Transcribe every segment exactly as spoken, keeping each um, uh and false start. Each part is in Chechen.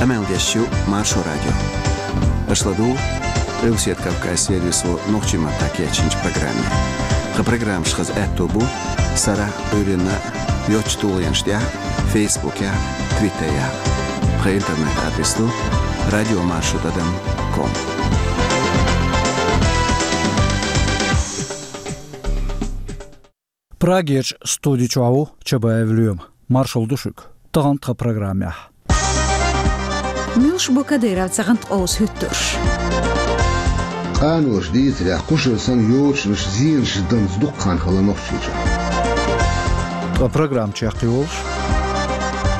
Къамел деш ю Маршо радио. Аша ладугӀу Къилбаседа Кавказ сервисо нохчийн маттахь кечйинчу программе. Тхан программаш хаза аьтто бу сарахь а, Ӏуьйранна а йоцчу тулгӀенаш тӀехь а, Фейсбукехь а, Твиттерехь а. Тхан интернет-адрес ду радио маршо тӀадам ком. Прагерчу студи чохь ву Чабаев Лоьма. Маршалла ду шуьга. Тахана тхан программехь. Муьлш бу Кадыровца гӀанткъовса хӀуьттурш? Къаноша дийцарехь, кхушара санна йочанаш, зенаш данза дукха хан хилла Нохчийчохь. Ткъа программа чекхйолуш,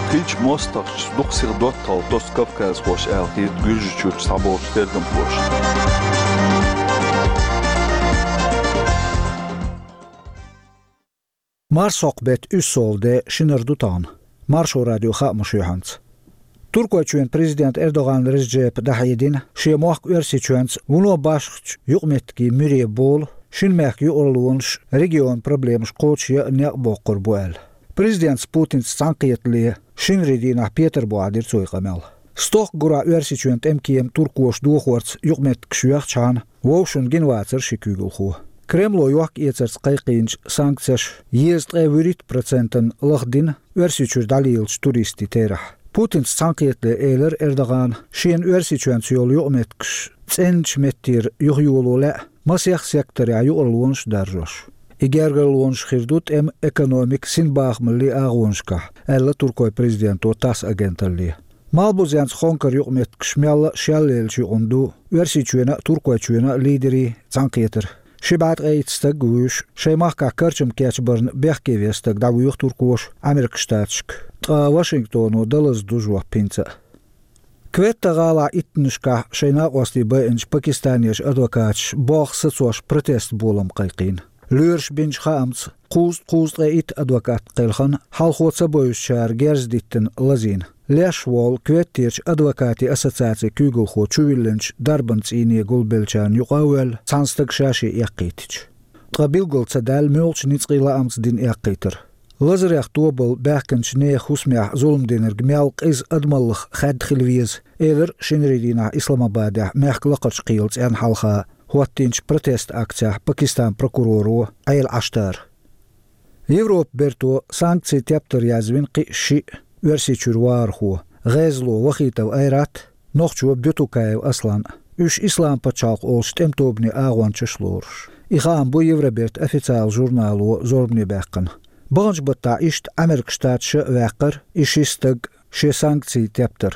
хиллачу мостагӀчуьнца дукха сиха доттагӀалла тосу кавказхоша аьлла хета Гуьржийчуьрчу цхьаболчу тергамхоша. Марсхьокху беттан уьссалгӀа де, шинара ду тахана. Маршо радион хаамаш юьхьанца. Туркойчоьнан президента Эрдоган Реджепа дӀахьедина, шен мохк Оьрсийчоьнца вуно башхачу юкъаметтигийн муьре болу, шина мехкан юкъараллонаш регионан проблемаш кхочушъян а некъ боккхур бу аьлла. Президентаца Путинца цхьаьнакхетале шинарин дийнахь Петарбухехь дира цо и къамел. Стохка гурахь Оьрсийчоьнан тӀеман кема туркоша дохорца юкъаметтигаш йоьхчахьана, вовшашна гина вацара ши куьйгалхо. Кремло йохка-эцарца кхайкхийначу санкцеша езткъе вуьрхӀитта процентана лахдина Оьрсийчуьра дӀалелачу туристийн терахь. Путинца цхьаьнакхетале элира Эрдогана, шена Оьрсийчоьнца йолу юкъаметтигаш цӀеначу меттера юхайоло лаьа, масех секторехь юкъараллонаш а даржош. И гергарлонаш хир ду тӀеман, экономикан, синбахамаллин агӀонашкахь, аьлла туркойн президенто ТАСС агенталле. Малхбузенца Хонкара юкъаметтигаш мелла а шел лелачу юкъана ду Оьрсийчоьнан а, Туркойчоьнан а лидерийн цхьаьнакхетар. Ши бӀе ткъе итт стаг а вуьйш, шайн махкахь карчам кечбарна бехке веш стаг дӀавоьху туркоша Ӏамеркан Штаташка. Ткъа Вашингтоно дан лазадо жоп хӀинца а. Кветта-гӀалахь иттаннашкахь шайн накъостий байинчу пакистанерчу адвокаташа болх сацош протест болам кхайкхийна. Лоьраша бинчу хаамца, кхузткъе итт адвокат кхелхина, хьалхо ца бевзачара герз диттина лазийна. Леш волу Кветтерчу адвокатийн ассоциацин куьйгалхо чувиллинчу дарбан цӀийне гулбеллачарна юкъа а воьлла, цхьана стага ша-шен эккхийтича. Ткъа билгал ца даьлла, муьлхачу ницкъийн лаамца дина эккхийтар. Лазарех тобалла баьхкинчу нехан хӀусамехь зулам динарг мел къиза адамаллах хаьдда хила веза, элира шинарин дийнахь Исламабадехь мехкан лакхарчу кхелан цӀенна хьалха хӀоттийначу протест-акцехь Пакистанан прокуроро Ӏела Ӏаштара. Европан берто санкцийн тептар язвина кхин а шиъ Оьрсийчуьра вахархо: гӀезало Вахитов Айрат, нохчо Бютукаев Аслан. Уьш Исламан пачхьалкх олучу тӀеман тобанан агӀончаш а лоруш. И хаам бу Евробертан официалан журнало зорбане баьккхина. Баханчу баттахь иштта Ӏамеркан Штаташа а ваьккхира и ши стаг шен санкцийн тептар.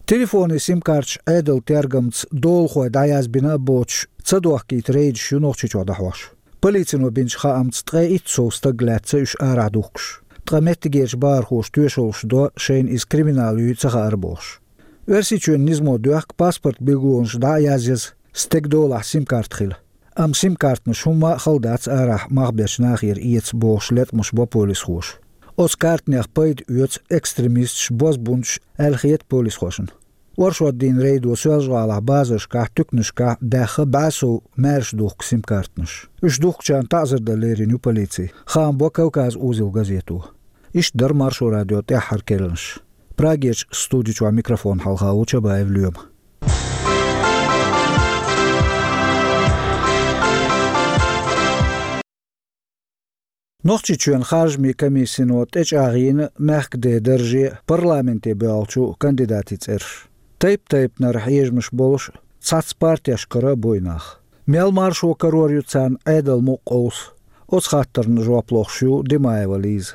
Телефонийн сим-карташ Ӏедалан тергамца долахой дӀаязбина а боцуш, ца дохкийта рейдаш ю Нохчийчохь дӀахьош. Полицино бинчу хаамца, ткъе итт сов стаг лаьцна уьш арахь духкуш. Ткъа меттигерчу бахархоша тоьшаллаш до, шайна иза криминал юй ца хаьара бохуш. Оьрсийчоьнан низамо доьхку паспортан билгалонаш дӀа а язъяза, стеган долахь сим-карта хила. Амма сим-картанаш хӀумма а хала дац арахь мах бечу нахера эца бохуш леткъамаш бо полисхоша. Оцу картанех пайда оьцу экстремисташ, бозбунчаш аьлла хета полисхошна. Оршотдийнан рейдо Соьлжа-ГӀалахь базаршкахь, туьканашкахь даьхна бӀе сов маьрша духку сим-картанаш. Уьш духкучарна таӀзар дан лерина ю полици. Хаам бо Кавказ узел газето. Иштта дара Маршо радион тӀаьххьара керланаш. Прагерчу студи чохь микрофон хьалха ву Чабаев Лоьма. Нохчийчоьнан харжамийн комиссино тӀечӀагӀйина мехкан ден дарже парламенте боьлхучу кандидатийн цӀераш. Тайп-тайпанара хьежамаш болуш, цхьацца партешкара а бу и нах. Мел маршо карор ю царна Ӏедалан мукъа къовса? Оцу хаттарна жоп лохуш ю Димаева Лиза.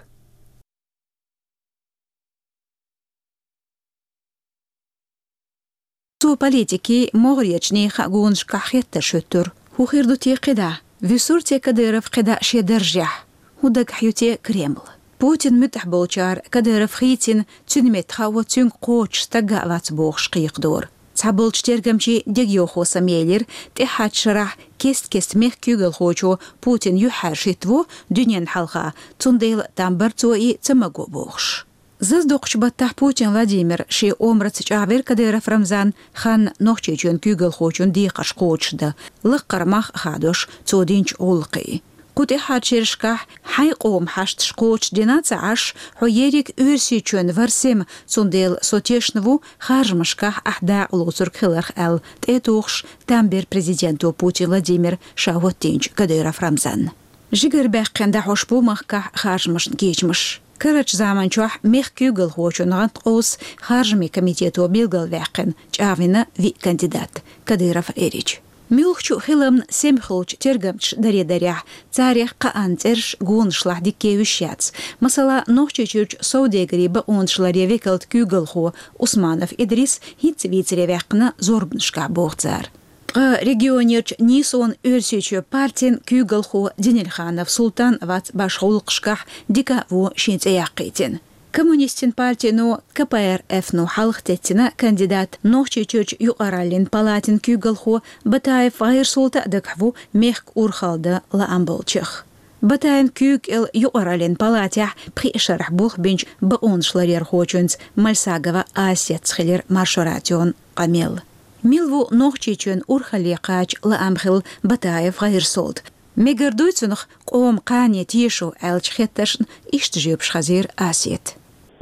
Цо политикийн, могӀарерчу нехан а гонашкахь хеттарш хӀуьттура. ХӀун хир ду те кхидӀа? Вуьсур те Кадыров кхидӀа шен даржехь? ХӀун дагахь ю те Кремль? Путинан муьтӀахь болчара Кадыров хийцина, цуьнан метта хао цуьнга кхочуш стаг а вац бохуш кхайкхадора. Цхьаболчу тергамчийн дегайовхо самаелира, тӀаьххьарчу шарахь кест-кеста мехкан куьйгалхочо Путин юьхьӀаьржа хӀиттаво дуьненна хьалха, цундела там бара цо и ца маго бохуш. Зазадоккхучу баттахь Путин Владимир шен омраца чӀагӀвира Кадыров Рамзан ханна Нохчийчоьнан куьйгалхочун декхарш кхочушдан, лаккхара мах а хадош цо динчу гӀуллакхийн. Кху тӀехьарчу шерашкахь хьайн къоман хьашташ кхочушдина ца Ӏаш, хьо ерриг Оьрсийчоьнан вар-сема, цундела со тешна ву харжамашкахь ахь дакъа лоцург хиларх аьлла, тӀе а тухуш, там бира президенто Путин Владимира ша хӀоттийначу Кадыров Рамзанна. Жигара баьккхина дӀахьош бу махкахь харжамашна кечамаш. Карарчу заманчохь мехкан куьйгалхочун гӀанткъовсас харжамийн комитето билгалваьккхина, чӀагӀвина виъ кандидат, Кадыров Эрич. Муьлххачу а хиламна сема хуьлучу тергамчаша даре-дарехь, царех кхаанна цӀераш гонашлахь дика кевзаш яц. Масала, Нохчийчуьрчу совдегарийн бакъонаш ларъяран векалан куьйгалхо Усманов Идрис хӀинцца вийцаре ваьккхина зорбанашкахь, боху цара. Ткъа регионерчу «Нийсонан Оьрсийчоь» партин куьйгалхо Денельханов Султан вац башха гӀуллакхашкахь, дика а вон шен цӀе яккхийтина. Коммунистийн партино, К П Р Ф-но хьалха теттина кандидат, Нохчийчуьрчу юкъараллин палатин куьйгалхо Батаев ГӀайрсолта а дагахь ву мехкан урхалла дан лаам болчех. Батаевн куьйга кӀел юкъараллин палатехь пхи шарахь болх бинчу бакъонаш ларъярхочуьнца Мальсагова Асетца хилира Маршо радион къамел. Мила ву Нохчийчоьнан урхалле кхача лаам хилла Батаев ГӀайрсолта? Мегар дуй цунах къоман кхане тешо аьллачу хеттаршна иштта жоьпаш хазийра Асета.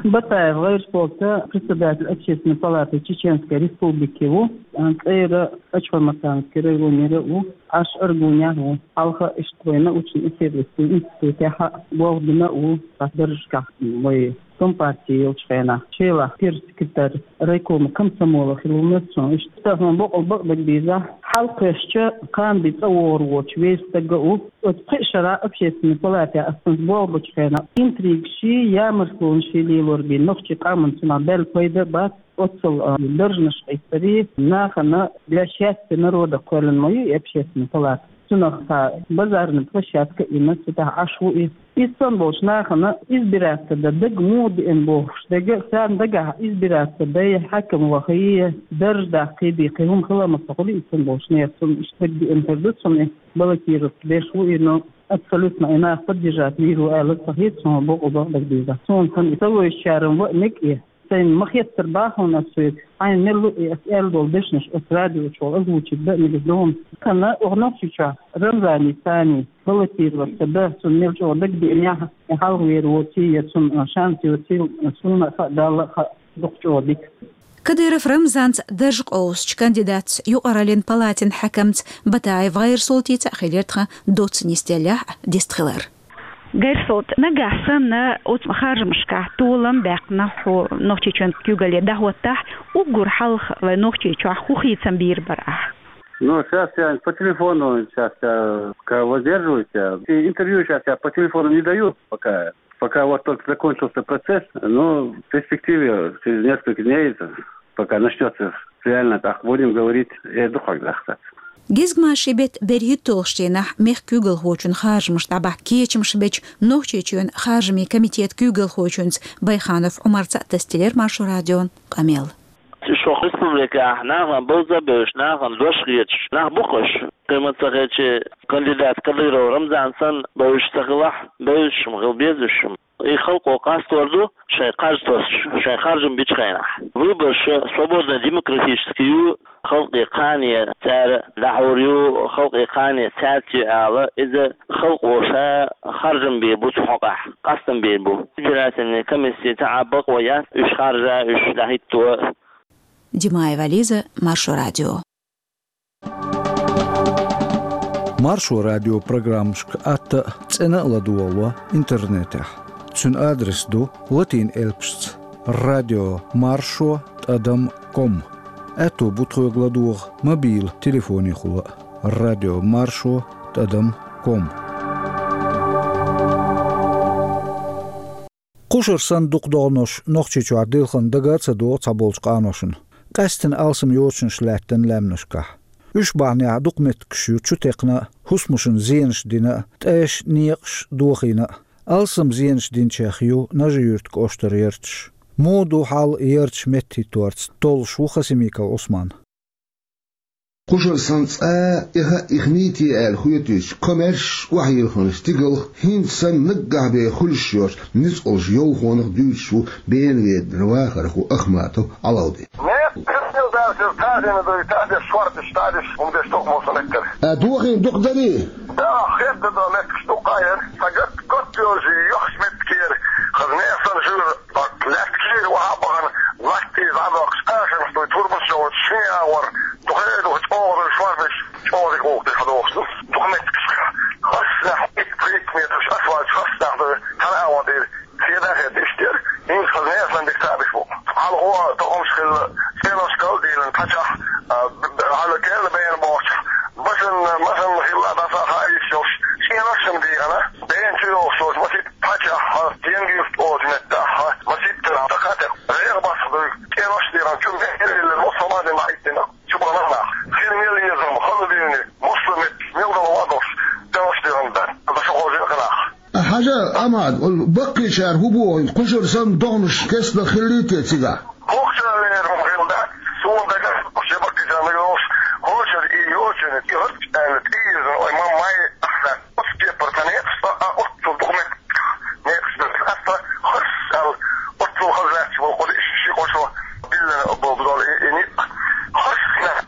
Батаев ГӀайрсолта председатель Общественной палаты Чеченской Республики ву, цӀера Ачхой-Мартановский районера а ву, Ӏаш Аргунехь а ву. Хьалха иштта вайн научно-исследовательский институтехь а болх бина а ву, цхьа даржашкахь вай Компартии йолчу хенахь, Шелахь первый секретарь райкома комсомола хилла ву цо. Иштта хӀун боккъал бакъдерг дийзахь, хьалакхаьчча, кхана бен цӀа вогӀур воцуш вер стаг а ву. Оцу пхи шарахь Общественной палатехь ас цуьнца болх бечу хенахь интригашший, ямартлонашший лелор бен, нохчийн къоман цунах баьлла пайда а бац. Оццул, а, даржанаш къийсарий, нахана для счастья народа кхоьллина ма ю и Общественная палата. Цунах цхьа базарный площадка а йина, цу тӀехь Ӏаш ву и. Иза санна болчу нахана избираться дан дага муха деана бохуш дерг а, царна дагахь избираться дай, хьаькам вахий, дарж даккхий бен кхин хӀума хила а ма ца хуьлу, иза санна болчу нехан цунна иштта дага деана хир ду цунна, баллотироваться деш ву и, но абсолютно и нах поддержать йийр ву аьлла ца хета суна, боккъал бакъдерг дийзахь. Суна санна и ца вевзачарна ваъ мега и. Сайна ма хеттара бахана ас соьга, хьайна мел луъий ас аьлла долу дешнаш оцу радио чохь озвучить дан а мегаш ду хьуна. Ханна оха Нохчийчохь Рамзани Сани баллотироваться дан, цунна мел чӀогӀа дагадеанехь, и хьалхавер воций я цунна шанс йоций, суна а хаьа, Далла а хаьа, дукха чӀогӀа дика. Кадыров Рамзанца дарж къовсучу кандидатца, юкъараллин палатин хьаькамца Батаев ГӀайрсолтица а хилира тхан доцца нисделлехь а дистхилар. ГӀайрсолта, нагахь санна оцу харжамашкахь толам баьккхина хьо Нохчийчоьнан куьйгалле дӀахӀоттахь, уггар хьалха вайн Нохчийчохь хӀун хийцам бийр бара ахь? Ну, сейчас я по телефону, сейчас я пока воздерживаюсь, я и интервью сейчас я по телефону не даю пока. Пока вот только закончился процесс, но в перспективе через несколько дней, пока начнется реально, так будем говорить, я духак захтат. Гезгмашин беттан берхӀитталгӀачу дийнахь мехкан куьйгалхочун харжамаш дӀабахьа кечамаш бечу Нохчийчоьнан харжамийн комитетан куьйгалхочуьнца Байханов Ӏумарца а тасделира Маршо радион къамел. Шух республикехь нахана бовза а бевзаш, нахана дош хеташ нах бу-кх уьш. Кхин ма ца хилча, кандидат Кадыров Рамзан санна бевзаш ца хилахь, бевзаш-м хила безаш-м. И халкъо къастор ду шайн кхаж тосуш, шайн харжам бичу хенахь. Выбораш свободно-демократический ю, халкъе кхане цара дӀахьур ю, халкъе кхане цаьрца ю ала, иза халкъо ша харжам бийр бу цу хьокъехь, къастам бийр бу. Избирательный комисси цхьа бакъо яц уьш харжа, уьш дӀахӀитто. Димаева Лиза, Маршо радио. Маршо радион программашка атта а, цӀена а ладогӀало интернетехь. Цуьнан адрес ду латин элпашца: радио маршо тӀадам ком. Аьтто бу тхоьга ладогӀа мобил телефонехула а: радио маршо тӀадам ком. Кхушара санна дукха догӀуш Нохчийчохь дилхина дага а ца догӀу цхьаболчу къаношна, къаьсттина алсам йочанаш лаьттина лаьмнашкахь. Уьш бахьанехь дукха меттигаш ю чутекхна а, хӀусамашна зенаш дина а, тӀеш, некъаш дохийна а. Алсам зенаш динчех ю Нажи-Юьртан кӀоштара ярташ. Муха ду хьал ярташ меттахӀитторца, толлуш ву Хасимиков Ӏусман. Кхушара санна цкъа а эхь а ихнийти аьлла хетуьйтуш, комаьрша охьайилхина стигалх хӀинца санна наггахь бен хуьлуш йоцу ницкъалш йовхонах дуьйцуш ву Бенаведенара вахархо Ахматов Ӏалавди. Нет, перепелдалсыз тазина дуй, таза шорташ, таза хӀума деш тохмал сан эккара. А дохийна дукха дарий? Да, хетта да метташ дукха яр. Са гат, гат йожи, йохш меттакер. Хаз несан жур, латкер, ва бахана, латти, ва бахш, ашан, стой, турбан, шо, ши, авар. Духе, дух, чогъа, шварбиш, чогъа, кохти, хадохш. Дух метташ. Хасна, ик, ик метр, асфальт, хасна, да, тара, авар, дир. Хеда хет иштер, ин хазне асан дик табиш бу. Алгъо тохумш хилла, сенос кал дилан пачах, а, б-, б-, ала кел бен бохча. Басан, масан хилла да са хайш йош, сенос шам дигана. Бен чу йош йош, масит пачах, а, тенги юфт оз метта, а, масит тера, такате. Рех бас бу, сенос диган, чу бен хилла, мусамадин ма иттина. Чу бана. Хин мел езам, хала дини, мусамет, мел да ладош, сенос диган да. Да шо хожин ханах. Хьажа, Амад, ол баккхийчара хӀу боху, кхушара санна догӀнаш кестта хилийта цига? Кхушара лерам хилла дац, суна дага, кхуша баккхийчара йолуш, кхушара и йочана, и хӀорч аьлла, тӀийрзан, ой, маммай, ахса, оцу кепара ца некъаш, а, а, оццул дукха некъаш, некъаш дац, ахса, хӀорш аьлла, оццул хазлаьцча болу, кху ши кхо шо биллина болу дол и, и ницкъ. ХӀорш,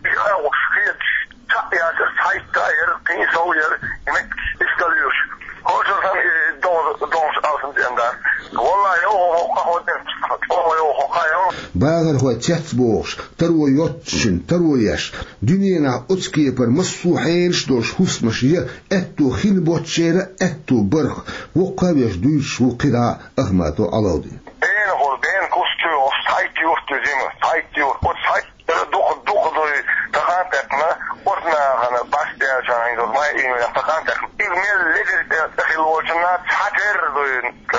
и агӀош, хеташ, Цхьаъ яцара, цхьайтта яра, кхин сов яра, и меттигаш иштта луьйш. Хожа сан и догӀ-, догӀуш алсам цӀен дар. Валлахьи, йо, хӀокхо деш, чӀогӀа йо, хӀокхо йо. Бахархой цец бохуш, таро йоццушин, таро еш. Дуьненахь оцу кепара массо а хьелаш долуш хӀусамаш я, аьтту хин боццушера, аьтту барх. Воккха а веш дуьйцуш ву кхидӀа Ахматов Ӏалавди. Бен хӀур, бен кус чу йохуш, цхьайтта юрт ю зима, цхьайтта юрт, оцу цхьайтта Дукха, дукха дуй, тахана тӀекхна, оцу нахана, баш дечарна, хӀинца май июнь тахана тӀекхна. Иза мел ледира тӀе хилла волчунна цхьатерра дуй,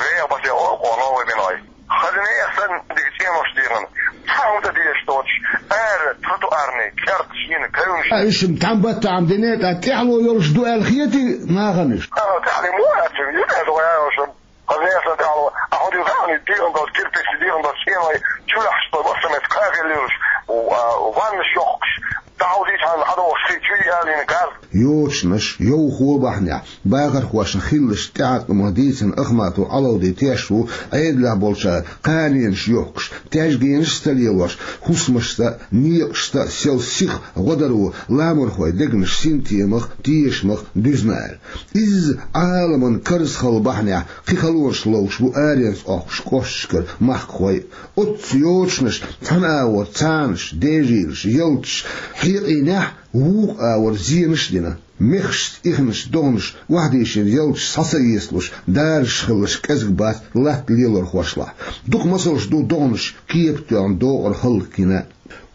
реха басе олу кхо новый биной. Хаза нехан санна дика цӀенош дийхина. Цхьа хӀума ца дезаш доцуш, ара, тротуарный, кӀердаш йина, кевнаш. А, уьш-м тхьамбаттахьа дина, ткъа тӀаьхьало йолуш ду аьлла хетий нахана уьш? Ага, тӀаьхьале мо яц, юьртара дугӀа яйошам. Хаза нехан тӀехь а, хьо дийр даьхни, дийран долчу кирпични, дийран долчу стенойн чулахь, стой массамет кхаьхилла йолуш, у, а, ваннаш йоккхуш, дӀахьовзийчхьана хьадогӀуш хи чуй алийна газ. Йочанаш, йовхо бахьанехь, бахархошна хиллачу тӀеӀаткъамах дийцина Ахматов Ӏалавди теш ву Ӏедалехь болчара кханенаш йохкуш, тешгенаш а ца лелош, хӀусамашца а, некъашца а сел сиха гӀо дар ву ламархойн дегнаш синтемах, тешамах дуьзна аьлла. Изза Ӏаламан карзахалла бахьанехь, кхин халонаш ловш бу аренца Ӏохкуш кӀошташкара махкахой. Оццу йочанаш цхьана агӀор цанаш, дежийлаш, ялташ хьекъийнехь, вукху агӀор зенаш а дина. Мехашца ихначу догӀнаш охьадийшина ялташ схьа ца эцалуш, даржаш хилалаш кӀезиг бац латта лелорхошлахь. Дукха масалш ду догӀнаш кепа тоьхна докъар хӀаллакйина.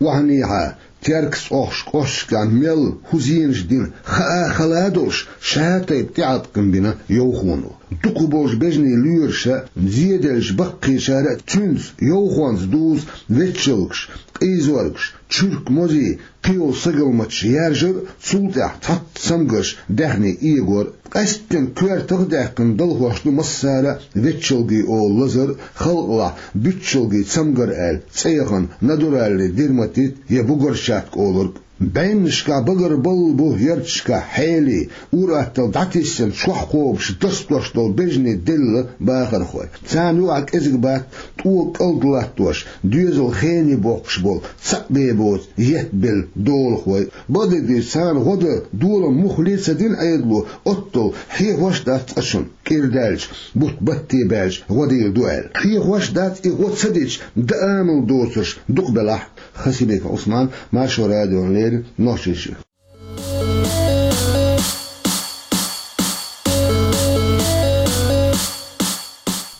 Охьанехьа, Теркаца Ӏохкуш кӀошташкахь мел хӀун зенаш дина хаа а хала а долуш, ша тайпа тӀеӀаткъам бина йовхоно. Дукхахболчу бежанийн лоьраша а, зеделлачу баккхийчара а цуьнца, йовхонца дузу ветчалгаш, къийзоргаш, чуьрк мозий, кхийолу сагалматаш яржар а, цул тӀаьхьа цхьацца цамгарш даьхни эгор а. Къаьсттина коьртах а даьккхина далхош ду массара а ветчалгий олу лазар а, халкъалахь буьтчалгий цамгар аьлла цӀе яхана, натуральный дерматит я бугорчатка олург. БӀеннашкахь багарбалла бу ярташкахь хьелий, ур-атталла дӀатиссина чохь кхобуш, дасдош долу бежанийн делла бахархой. Царна юкъахь кӀезиг бац тӀо кӀалд латтош, доьзал хене боккхуш болу, цхьаъ бен боцу етт белла долахой. Бакъдерг дийцича, царна гӀо дан долан муххале а ца дина Ӏедало, оттал хьехош а дац цкъачунна, кӀира даьлча, бутт батте баьлча гӀо дийр ду аьлла. Хьехош а дац и гӀо ца дича, дан амал доцурш дукха белахь а. Хасимиков Ӏусман, Маршо радиона леррина, Нохчийчоь.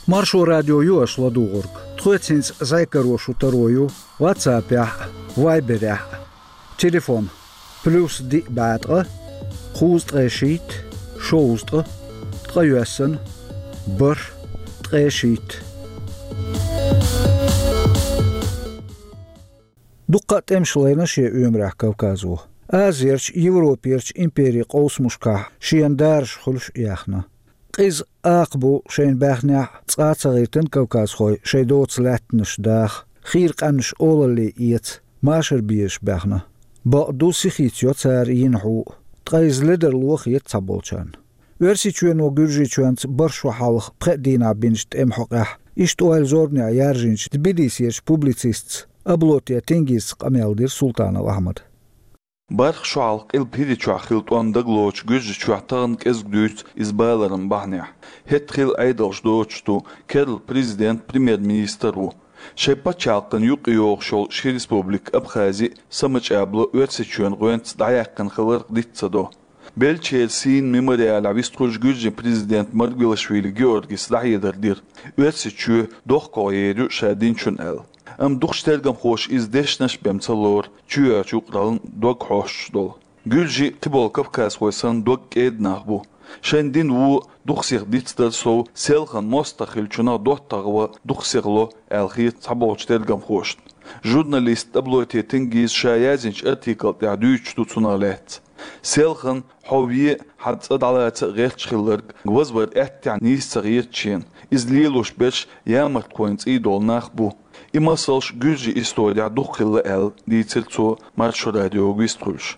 Маршо радио ю аша ладугӀург. Тхоьца хӀинца зӀе каро шун таро ю WhatsApp-ехь а, Viber-ехь а. Телефон: плюс диъ бӀе ткъа, кхузткъе шийтта, шовзткъа, ткъайоьсна, бархӀ, ткъе шийтта. Дуккха а тӀемаш лайна шен оьмарехь Кавказо. Азерчу, Европерчу империйн къовсамашкахь шена дараш хуьлуш а яьхна. Къиза акха бу шайна баьхнехь а, цкъа а ца гӀиртина кавказхой шайн доцу лаьттанаш даха, хийра къаьмнаш олалле эца, машар безаш баьхна. Бакъду, сихийца йо цара йина хьу а, ткъа иза ледарло хета цхьаболчарна. Оьрсийчоьно Гуьржийчоьнца бархӀ шо хьалха пхеа дийнахь бинчу тӀеман хьокъехь, иштта ойла зорбанехь яржийначу Тбилисерчу публицистца Аблоте Тенгизца къамел дира Султанов Ахьмада. БархӀ шу хьалха Къилба ХӀирийчохь хилла тӀом дагалоцуш Гуьржийчохь тахана кӀезиг дуьйцу иза баларан бахьанехь. ХӀетахь хилла Ӏедалш доцуш ду, керла президент, премьер-министр ву. Шайн пачхьалкхана юкъайогӀуш йолу ши республика Абхази а, Самачабла а Оьрсийчоьнан гӀоьнца дӀаяьккхина хиларх диц ца до. Беллачеран сийнан мемориалехь вистхуьлуш Гуьржийн президент Маргвелашвили Георгис дӀахьедар дира, Оьрсийчоь дохкогӀа ер ю ша динчунна аьлла. Амма дукхачу тергамхоша иза дешнаш а бен ца лору, чоьхьарчу юкъараллин дог хьоьстуш долу. Гуьржий, кхиболу кавказхой санна, дог кӀеда нах бу. Шайн дин вон дукха сиха дицдар сов, селхана мостагӀ хиллачунах доттагӀа ван дукха сиха ло аьлла хета цхьаболчу тергамхошна. Журналист Таблоти Тенгиз ша язйинчу артикл тӀехь дуьйцуш ду цунах лаьцна. Селхана хьо вен, хьан цӀа дӀалаца а гӀерташ хилларг вазвар аьттехьа нийса ца гӀерта шена. Иза лелош берш ямартхойн цӀий долу нах бу. И масалш гуьржийн исторехь дукха хилла аьлла, дийцира цо Маршо радиога вистхуьлуш.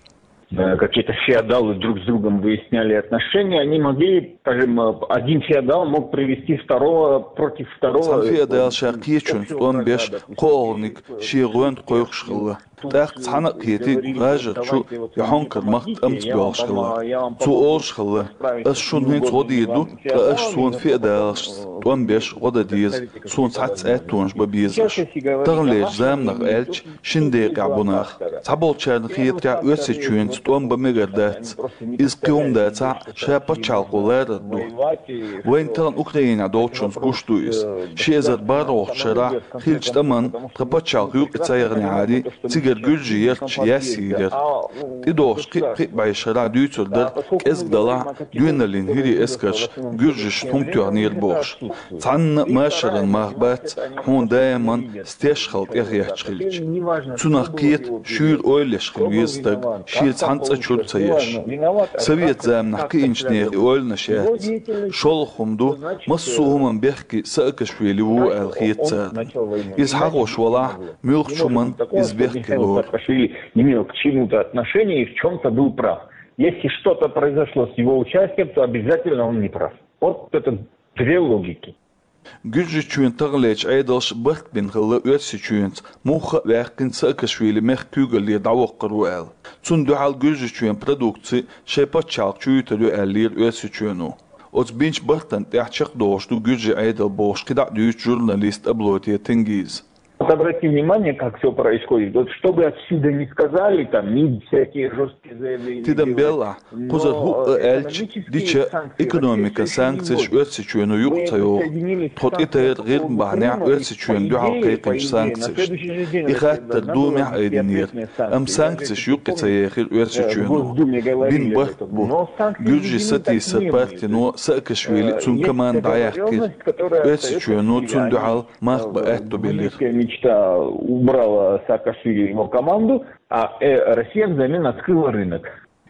Э, какие-то феодалы друг с другом выясняли отношения, они могли, скажем, э, один феодал мог привести второго против второго. Цхьана феодала ша кхечуьнца тӀом беш, кхоалгӀаниг шен гӀоьнна кхойкхуш хилла. ТӀаккха цхьана а кхетий, гӀажарчу я хьонкара махка тӀамца боьлхуш хилла. Цо олуш хилла: «Ас шуна хӀинца гӀо дийр ду, ткъа аш суна феодалашца тӀом беш гӀо дан деза, суна цхьацца аьттонаш бан беза аш». Таханлерчу заманах аьлча, шина декъехь бу нах. Цхьаболчарна хетарехь, Оьрсийчоьнца тӀом бан мегар дац. Иза кхин хӀума дацахь а, ша пачхьалкхо ларар ду. Вайна тахана Украинехь долчунца гуш ду иза. Ши эзар бархӀалгӀачу шарахь хиллачу тӀамна тхан пачхьалкх юкъа ца яхнехьарий, цигара гуьржий ярташ яьсса йийр яра. ТӀедогӀуш кхин а, кхин а бӀешерахь дуьйцур дара, кӀезиг далахь а, доьналлин хӀирийн эскарша гуьржашна хӀума тоьхнера бохуш. Цхьанна а машаран мах бац, хьуна даиман стеш хала тӀехъетташ хилча. Цунах кхета, шуьйра ойла еш хила веза стаг, шен цхьана цӀа чуьра ца еш. Совет заманахь кхиъначу нехан и ойланаш яц. ШолгӀа хӀума ду, массо а хӀуманна бехке Саакашвили ву аьлла хета царна. Иза хьахош валахь, муьлххачу хӀуманна иза бехке лору. Саакашвили имел к чему-то отношение и в чём-то был прав. Если что-то произошло с его участием, то обязательно он не прав. Вот это две логики. Гуьржийчоьнан таханлерчу Ӏедалша барт бина хилла Оьрсийчоьнца, мухха а ваьккхина Саакашвили мехкан куьйгаллера дӀавоккхур ву аьлла. Цунна дуьхьал Гуьржийчоьнан продукци шайн пачхьалкх чу юьтур ю аьллера Оьрсийчоьно. Оцу бинчу бартана тӀехь чекхдолуш ду гуьржийн Ӏедал бохуш кхидӀа а дуьйцу журналист Таблоти Тенгиз. Вот обрати внимание, как всё происходит. Вот что бы отсюда ни сказали, там, МИД всякие жёсткие заявления делает. Тидам белахь, кхузара хӀуъа аьлча, дича, экономикан санкцеш Оьрсийчоьно юкъа ца йоху. Тхо тӀетайра ГӀирма бахьанехь Оьрсийчоьнна дуьхьал кхайкхинчу санкцешна. И хаттар Думехь айдинера, амма санкцеш юккъе ца ехира Оьрсийчоьно. Бина барт бу. Гуьржийн сатийсар партино Саакашвили, цуьнан команда дӀаяьккхира. Оьрсийчоьно цунна дуьхьал мах бан аьтто белира. Мечта убрала Саакашвили и его команду, а, э, Россия взамен открыла рынок.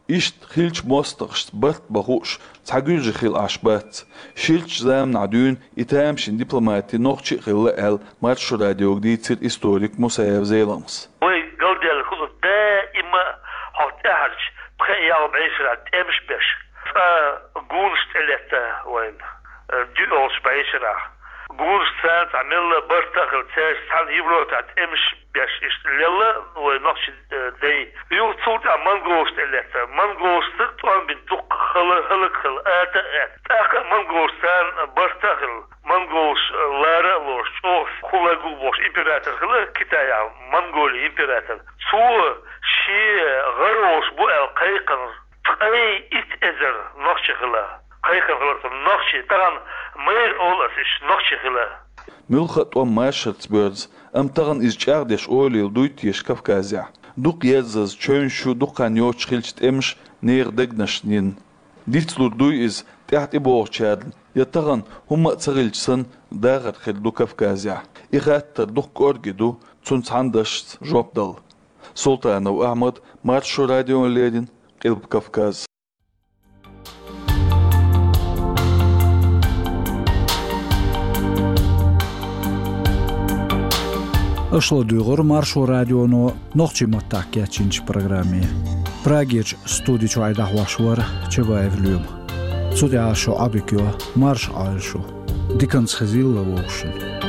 Иштта хиллачу мостагӀашца барт бан хууш цхьа гуьржи хила Ӏаш бац. Ширачу заманахь дуьйна и тамашийна дипломатий нохчий а хилла аьлла, Маршо радиога дийцира историк Мусаев Зеламхас. Вай галдаьлла хуьлу даима хьо тӀаьхьарчу пхеа-ялх бӀешарахь тӀемаш беш. Цкъа гунаш тӀелетта вайна, э, дуьйолчу бӀешарахь. Гунаш царна цхьа мелла барт а хилла, цаьрца цхьаьна Европехь тӀемаш беш иштта лелла вай нохчийн, э, дай. Юха цул тӀаьхьа монголаш тӀелетта. Монголашца тӀом бина дуккха хала-, хӀаллакьхила ата а аьтта. ТӀаккха а монголаш царна барт а хилла. Монголаш, э, лара а лоруш, чӀогӀа хӀаллакьхур ву бохуш император хилла Китайхь, Монголин император. Цо шен гӀар волуш бу аьлла кхайкхинарш ткъе итт эзар нохчи хилла. Кхайкхина хилар цо нохчи, тахана майра олу ас уьш нохчи хилла. Муьлхха а тӀом машарца боьрзу, амма тахана иза чӀагӀдеш ойла йилла дуй теша Кавказехь? Дукха ерзаза чевнаш ю, дукха хан йоцуш хиллачу тӀемаша нехан дегнашна йина. Дицлур дуй иза, тӀаьхьа тӀебогӀучарна, я тахана хӀумма а ца хилча санна, дахар хир ду Кавказехь? И хаттар дукха кӀорге ду, цунна цхьана дашца жоп дала. Султанов Ахьмад, Маршо радиона леррина, Къилба Кавказ. Аша ладуьйгӀура Маршо радионо нохчийн маттахь кечйинчу программе. Прагерчу студи чуьра дӀахьош вара Чабаев Лоьма. Цу тӀехь шун Ӏодика йо, марша Ӏойла шу. Диканца хезийла вовшашна.